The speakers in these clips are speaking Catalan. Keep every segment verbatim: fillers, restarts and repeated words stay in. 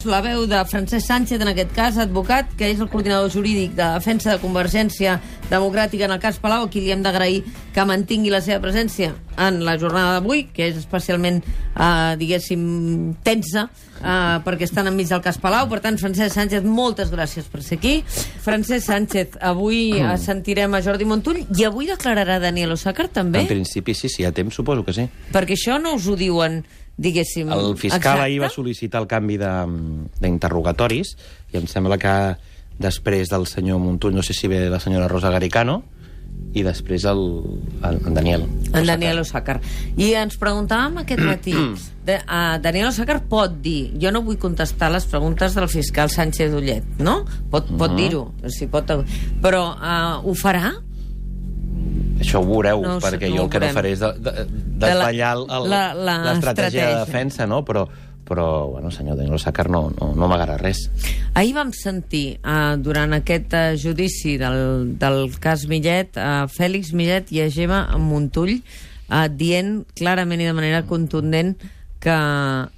La veu de Francesc Sánchez, en aquest cas, advocat, que és el coordinador jurídic de defensa de Convergència Democràtica en el cas Palau, a qui li hem d'agrair que mantingui la seva presència en la jornada d'avui, que és especialment, eh, diguéssim, tensa, eh, perquè estan enmig del cas Palau. Per tant, Francesc Sánchez, moltes gràcies per ser aquí. Francesc Sánchez, avui mm. sentirem a Jordi Montull i avui declararà Daniel Osàcar, també? En principi sí, si hi ha temps, suposo que sí. Perquè això no us ho diuen, diguéssim, el fiscal exacte? Ahir va sol·licitar el canvi d'interrogatoris i em sembla que després del senyor Montull, no sé si ve la senyora Rosa Garicano, i després el, el, el Daniel en Daniel Osàcar. I ens preguntàvem aquest matí, de, uh, Daniel Osàcar pot dir, jo no vull contestar les preguntes del fiscal Sánchez Ullet, no? Pot, pot uh-huh. dir-ho, si pot, però uh, ho farà? Això ho veureu, no, perquè no jo el que no faré és de, de, de desvetllar l'estratègia de defensa, no? Però, però bueno, senyor Daniel Osàcar no, no, no m'agrada res. Ahir vam sentir, uh, durant aquest uh, judici del, del cas Millet, uh, Fèlix Millet i a Gemma Montull uh, dient clarament i de manera contundent que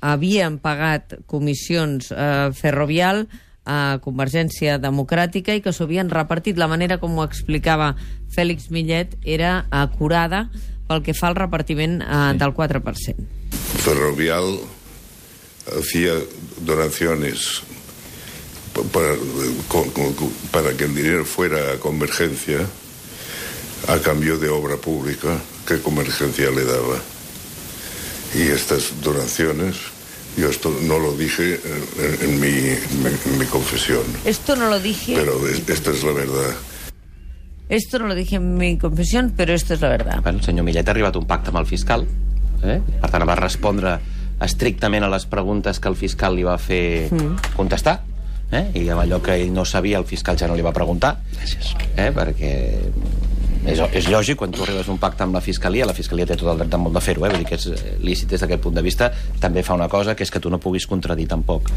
havien pagat comissions uh, Ferrovial a Convergència Democràtica i que s'ho havien repartit. La manera com ho explicava Fèlix Millet era acurada pel que fa al repartiment eh, sí. del quatre per cent. Ferrovial hacía donaciones para, para que el dinero fuera a Convergencia a cambio de obra pública que Convergencia le daba. Y estas donaciones, yo esto no lo dije en, en, mi, en mi confesión. Esto no lo dije. Pero es, esta es la verdad. Esto no lo dije en mi confesión, pero esto es la verdad. Bueno, el senyor Millet ha arribat a un pacte amb el fiscal, eh? Per tant va respondre estrictament a les preguntes que el fiscal li va fer mm. contestar, eh? I amb allò que ell no sabia el fiscal ja no li va preguntar. Gràcies. Eh? Perquè és, és lògic, quan tu arribes a un pacte amb la fiscalia, la fiscalia té tot el dret del món de fer-ho, eh? Vull dir que és lícit des d'aquest punt de vista. També fa una cosa, que és que tu no puguis contradir tampoc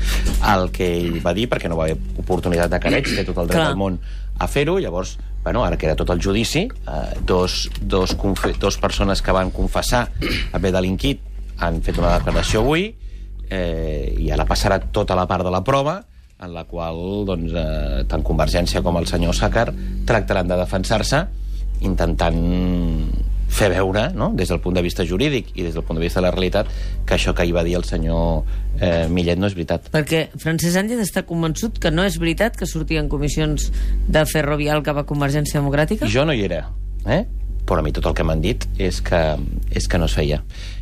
el que ell va dir, perquè no va haver oportunitat de careig, té tot el dret del món a fer-ho. Llavors, bueno, ara que era tot el judici, eh, dos, dos, dos persones que van confessar haver delinquit han fet una declaració avui, eh, i ara passarà tota la part de la prova, en la qual doncs, eh, tant Convergència com el senyor Osàcar tractaran de defensar-se, intentant fer veure, no?, des del punt de vista jurídic i des del punt de vista de la realitat, que això que ahir va dir el senyor eh, Millet no és veritat. Perquè Francesc Sánchez està convençut que no és veritat que sortien comissions de Ferrovial cap a Convergència Democràtica? Jo no hi era, eh? Però a mi tot el que m'han dit és que, és que no es feia.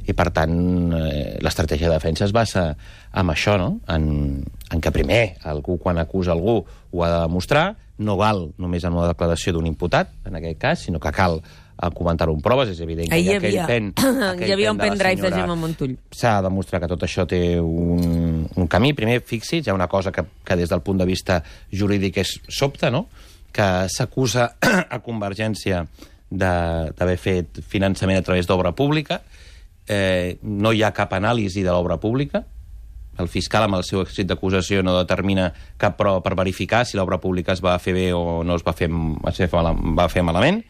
I per tant, eh, l'estratègia de defensa es basa en això, no?, en, en que primer algú, quan acusa algú, ho ha de demostrar. No val només en una declaració d'un imputat, en aquest cas, sinó que cal comentar-ho amb proves. És evident que hi, hi aquell havia, pen... Hi havia un pendrive de Gemma Montull. S'ha de demostrar que tot això té un, un camí. Primer, fixi's, hi ha una cosa que, que des del punt de vista jurídic és sobta, no?, que s'acusa a Convergència d'haver fet finançament a través d'obra pública. Eh, no hi ha cap anàlisi de l'obra pública. El fiscal, amb el seu escrit d'acusació, no determina cap prova per verificar si l'obra pública es va fer bé o no es va fer, es va fer malament.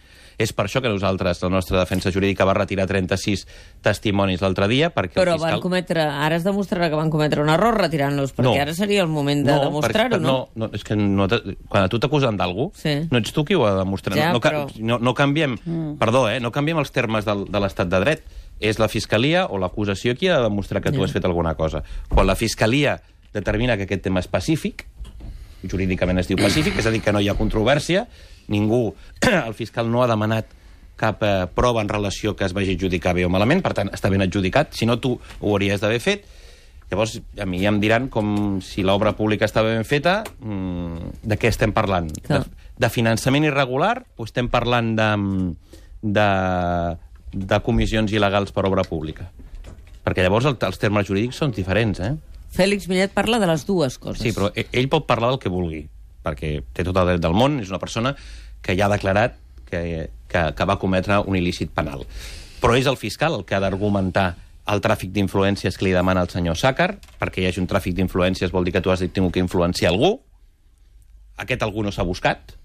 És per això que nosaltres, la nostra defensa jurídica, va retirar trenta-sis testimonis l'altre dia, perquè Però el fiscal... van cometre... Ara es demostrarà que van cometre un error retirant-los, perquè no. Ara seria el moment de no, demostrar-ho, no? No, no, és que no quan a tu t'acusen d'algú, sí. no ets tu qui ho ha de demostrar. Ja, no, però... no, no canviem... Mm. Perdó, eh? No canviem els termes del, de l'estat de dret. És la fiscalia o l'acusació qui ha de demostrar que tu has fet alguna cosa. Quan la fiscalia determina que aquest tema és pacífic, jurídicament es diu pacífic, és a dir, que no hi ha controvèrsia, ningú, el fiscal no ha demanat cap eh, prova en relació que es vagi adjudicar bé o malament, per tant, està ben adjudicat, si no tu ho hauries d'haver fet. Llavors, a mi ja em diran com si l'obra pública estava ben feta, mmm, de què estem parlant? De, de finançament irregular o estem parlant de... de de comissions il·legals per obra pública? Perquè llavors el, els termes jurídics són diferents, eh? Fèlix Millet parla de les dues coses. Sí, però ell pot parlar del que vulgui, perquè té tot el dret del món, és una persona que ja ha declarat que, que, que va cometre un il·lícit penal. Però és el fiscal el que ha d'argumentar el tràfic d'influències que li demana el senyor Osàcar, perquè hi hagi un tràfic d'influències vol dir que tu has tingut que influenciar algú. Aquest algú no s'ha buscat,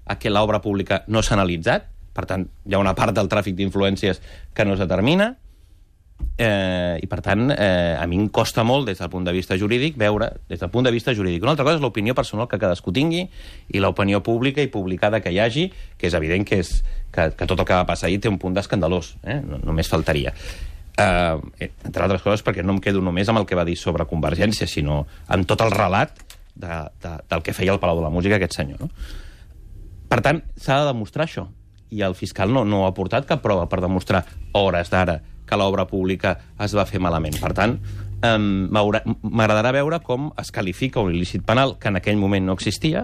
aquest l'obra pública no s'ha analitzat. Per tant, hi ha una part del tràfic d'influències que no es determina. Eh, I, per tant, eh, a mi em costa molt, des del punt de vista jurídic, veure, des del punt de vista jurídic. Una altra cosa és l'opinió personal que cadascú tingui i l'opinió pública i publicada que hi hagi, que és evident que, és, que, que tot el que va passar ahir té un punt d'escandalós. Eh? No, només faltaria. Eh, entre altres coses, perquè no em quedo només amb el que va dir sobre Convergència, sinó amb tot el relat de, de, del que feia el Palau de la Música aquest senyor. No? Per tant, s'ha de demostrar això. I el fiscal no, no ha aportat cap prova per demostrar hores d'ara que l'obra pública es va fer malament. Per tant, eh, m'agradarà veure com es qualifica un il·lícit penal que en aquell moment no existia,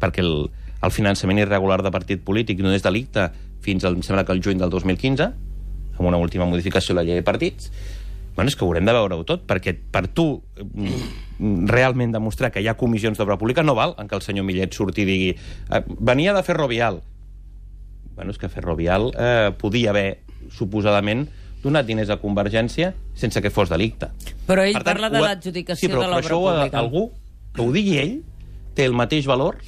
perquè el, el finançament irregular de partit polític no és delicte fins al, em sembla que el juny del dos mil quinze, amb una última modificació de la llei de partits. Bueno, és que haurem de veure-ho tot, perquè per tu realment demostrar que hi ha comissions d'obra pública no val en què el senyor Millet surti i digui eh, venia de Ferrovial. Bueno, és que Ferrovial eh, podia haver suposadament donat diners a Convergència sense que fos delicte. Però ell per tant, parla de l'adjudicació sí, però, de l'obra però pública. Això, algú que ho digui ell té el mateix valor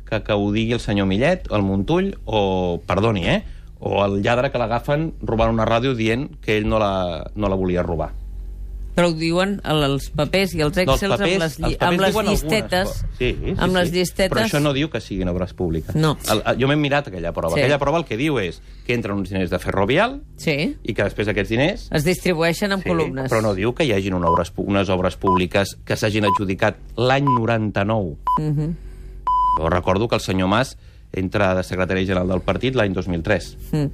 que que ho digui el senyor Millet, el Montull, o, perdoni, eh, o el lladre que l'agafen robant una ràdio dient que ell no la, no la volia robar. Però ho diuen els papers i els excels no, els papers, amb les, els amb les diuen llistetes. Sí, sí, amb sí. les llistetes. Però això no diu que siguin obres públiques. No. El, el, jo m'he mirat aquella prova. Sí. Aquella prova el que diu és que entren uns diners de Ferrovial sí. i que després aquests diners es distribueixen en sí, columnes. Però no diu que hi hagin una obres, unes obres públiques que s'hagin adjudicat l'any noranta-nou. Uh -huh. Jo recordo que el senyor Mas entra de secretari general del partit l'any dos mil tres. Mm.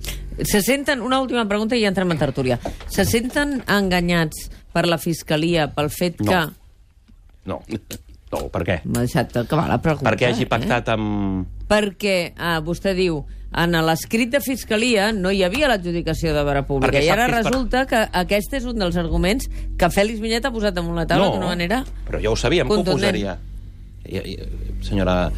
Se senten, una última pregunta i ja entrem en tertúlia. Se senten enganyats per la Fiscalia pel fet no. que... No. No, per què? M'ha deixat acabar la pregunta. Perquè hagi pactat eh? amb... Perquè, ah, vostè diu, en l'escrit de Fiscalia no hi havia l'adjudicació d'obra pública. Perquè I ara per... resulta que aquest és un dels arguments que Fèlix Millet ha posat damunt la taula no, d'una manera però ja ho sabíem, que ho posaria. I, i, senyora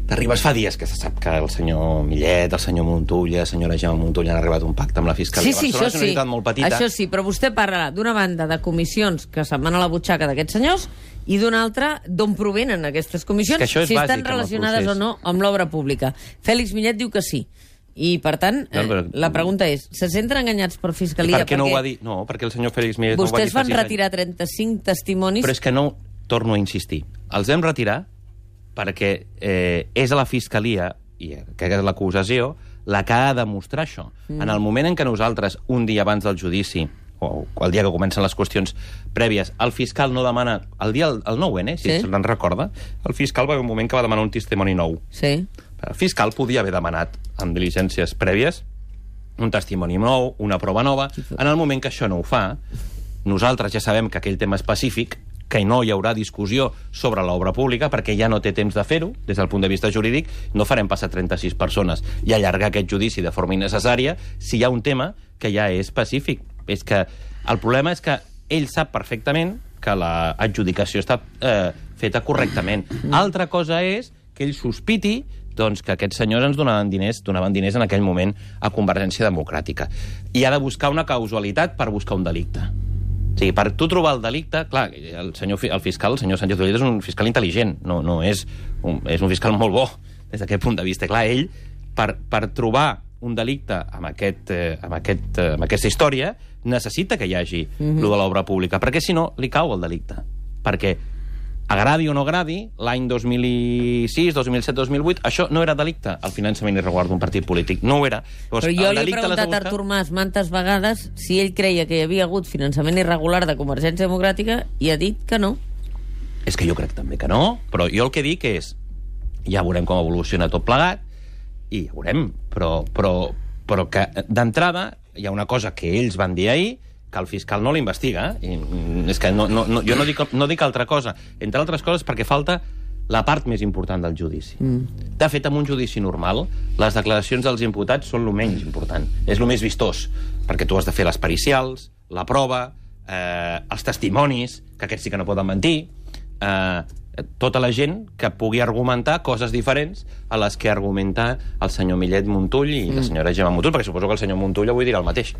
Terribas, fa dies que se sap que el senyor Millet, el senyor Montull, la senyora Gemma Montull han arribat a un pacte amb la Fiscalia. Sí, sí, això sí. Molt petita. Això sí, però vostè parla d'una banda de comissions que se'n van a la butxaca d'aquests senyors i d'una altra d'on provenen aquestes comissions, és és si estan bàsic, relacionades o no amb l'obra pública. Fèlix Millet diu que sí. I, per tant, no, però... eh, la pregunta és, se senten enganyats per Fiscalia? Per què no ho va dir? No, perquè el senyor Fèlix Millet vostès no ho va dir. Vostès van retirar trenta-cinc testimonis... Però és que no, torno a insistir, els hem retirat perquè eh, és a la Fiscalia, i que és l'acusació, la que ha de demostrar això. Mm. En el moment en què nosaltres, un dia abans del judici, o el dia que comencen les qüestions prèvies, el fiscal no demana... El dia, el nou ene, si sí. se'n recorda, el fiscal va haver un moment que va demanar un testimoni nou. Sí. El fiscal podia haver demanat, amb diligències prèvies, un testimoni nou, una prova nova. En el moment que això no ho fa, nosaltres ja sabem que aquell tema específic, que no hi haurà discussió sobre l'obra pública perquè ja no té temps de fer-ho, des del punt de vista jurídic, no farem passar trenta-sis persones i allargar aquest judici de forma innecessària si hi ha un tema que ja és específic. És que el problema és que ell sap perfectament que l'adjudicació està eh, feta correctament. Altra cosa és que ell sospiti doncs, que aquests senyors ens donaven diners, donaven diners en aquell moment a Convergència Democràtica. I ha de buscar una causalitat per buscar un delicte. O sigui, per tu trobar el delicte... Clar, el, senyor, el fiscal, el senyor Sánchez Ulleda, és un fiscal intel·ligent, no, no és, un, és un fiscal molt bo des d'aquest punt de vista. Clar, ell, per, per trobar un delicte amb, aquest, eh, amb, aquest, eh, amb aquesta història, necessita que hi hagi mm-hmm. lo de l'obra pública, perquè si no, li cau el delicte. Perquè, agradi o no agradi, l'any dos mil sis, dos mil set, dos mil vuit, això no era delicte, el finançament irregular d'un partit polític. No ho era. Llavors, però jo li he preguntat buscar... a Artur Mas mantes vegades si ell creia que hi havia hagut finançament irregular de Convergència Democràtica i ha dit que no. És que jo crec també que no, però jo el que dic és, ja veurem com evoluciona tot plegat, i ja veurem, però, però, però que d'entrada hi ha una cosa que ells van dir ahir, que el fiscal no l'investiga. I és que no, no, no, jo no dic, no dic altra cosa, entre altres coses perquè falta la part més important del judici. Mm. De fet, en un judici normal, les declaracions dels imputats són el menys important, és el més vistós, perquè tu has de fer les pericials, la prova, eh, els testimonis, que aquests sí que no poden mentir, eh, tota la gent que pugui argumentar coses diferents a les que argumenta el senyor Millet Montull i la senyora Gemma Montull, perquè suposo que el senyor Montull avui dirà el mateix.